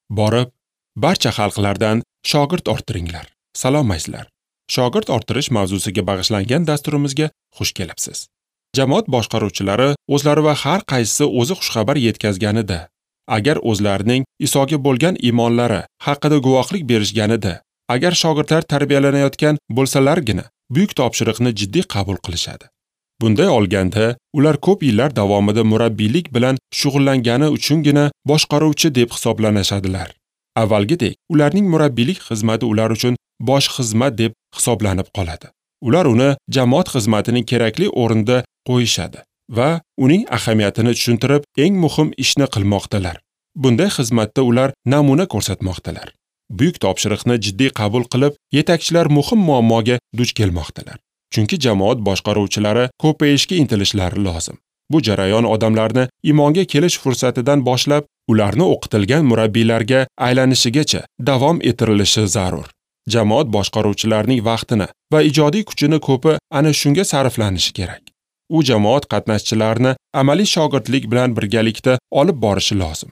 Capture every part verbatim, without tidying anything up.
Borib, barcha xalqlardan shogird orttiringlar. Salom azizlar. Shogird orttirish mavzusiga bag'ishlangan dasturimizga xush kelibsiz. Jamoat boshqaruvchilari o'zlari va har qaysisi o'zi xushxabar yetkazganida, agar o'zlarining Isoga bo'lgan iymonlari haqida guvohlik berishganida, agar shogirdlar tarbiyalanayotgan bo'lsalargina buyuk topshiriqni jiddiy qabul qilishadi. Bunday olganda, ular ko'p yillar davomida murabbiylik bilan shug'ullangani uchungina boshqaruvchi deb hisoblanashadilar. Avvalgidek, ularning murabbiylik xizmati ular uchun bosh xizmat deb hisoblanib qoladi. Ular uni jamoat xizmatining kerakli o'rnida qo'yishadi va uning ahamiyatini tushuntirib, eng muhim ishni qilmoqdalar. Bunday xizmatda ular namuna ko'rsatmoqdalar. Buyuk topshiriqni jiddiy qabul qilib, yetakchilar muhim muammoga duch kelmoqdalar. Chunki jamoat boshqaruvchilari ko'payishga intilishlari lozim. Bu jarayon odamlarni iymonga kelish fursatidan boshlab, ularni o'qitilgan murabbiylarga aylanishigacha davom ettirilishi zarur. Jamoat boshqaruvchilarining vaqtini va ijodiy kuchini ko'pi ana shunga sarflanishi kerak. U jamoat qatnashchilarini amaliy shogirdlik bilan birgalikda olib borishi lozim.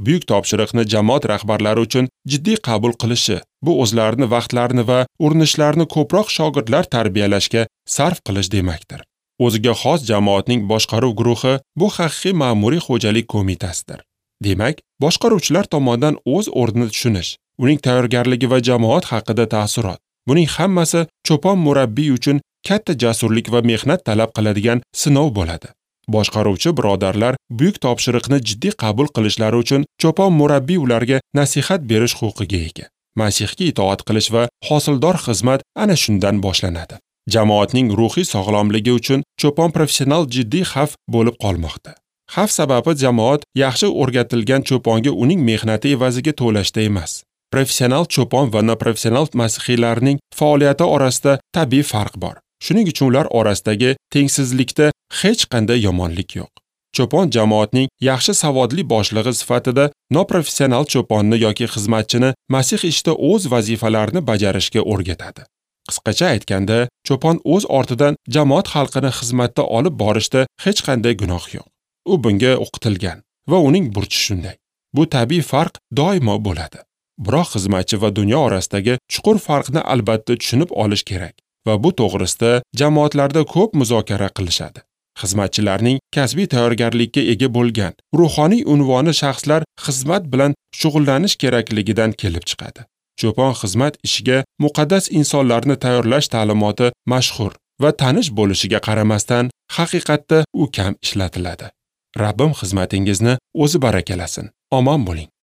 Buyuk topshiriqni jamoat rahbarlari uchun jiddiy qabul qilishi, bu o'zlarini vaqtlarini va urinishlarini ko'proq shogirdlar tarbiyalashga sarf qilish demakdir. O'ziga xos jamoatning boshqaruv guruhi bu haqiqiy ma'muriy xo'jalik qo'mitasidir. Demak, boshqaruvchilar tomonidan o'z o'rnini tushunish, uning tayyorgarligi va jamoat haqida taassurot, buning hammasi cho'pon murabbiy uchun katta jasurlik va mehnat talab qiladigan sinov bo'ladi. Boshqaruvchi birodarlar buyuk topshiriqni jiddiy qabul qilishlari uchun cho'pon murabbiy ularga nasihat berish huquqiga ega. Masihga itoat qilish va hosildor xizmat ana shundan boshlanadi. Jamoatning ruhiy sog'lomligi uchun cho'pon professional jiddiy xavf bo'lib qolmoqda. Xavf sababi jamoat yaxshi o'rgatilgan cho'ponga uning mehnati evaziga to'lashda emas. Professional cho'pon va noprofessional masihiylarning faoliyati orasida tabiiy farq bor. Shuning uchun ular orasidagi tengsizlikda hech qanday yomonlik yo'q. Cho'pon jamoatning yaxshi savodli boshlig'i sifatida noprofessional cho'ponni yoki xizmatchini Masih ishda o'z vazifalarini bajarishga o'rgatadi. Qisqacha aytganda, cho'pon o'z ortidan jamoat xalqini xizmatda olib borishda hech qanday gunoh yo'q. U bunga o'qitilgan va uning burchi shunday. Bu tabiiy farq doimo bo'ladi. Biroq xizmatchi va dunyo orasidagi chuqur farqni albatta tushunib olish kerak va bu to'g'risida jamoatlarda ko'p muzokara qilishadi. Xizmatchilarning kasbiy tayyorgarlikka ega bo'lgan ruhoniy unvoni shaxslar xizmat bilan shug'ullanish kerakligidan kelib chiqadi. Cho'pon xizmat ishiga muqaddas insonlarni tayyorlash ta'limoti mashhur va tanish bo'lishiga qaramasdan, haqiqatda u kam ishlatiladi. Rabbim xizmatingizni o'zi barakalasin. Omon bo'ling.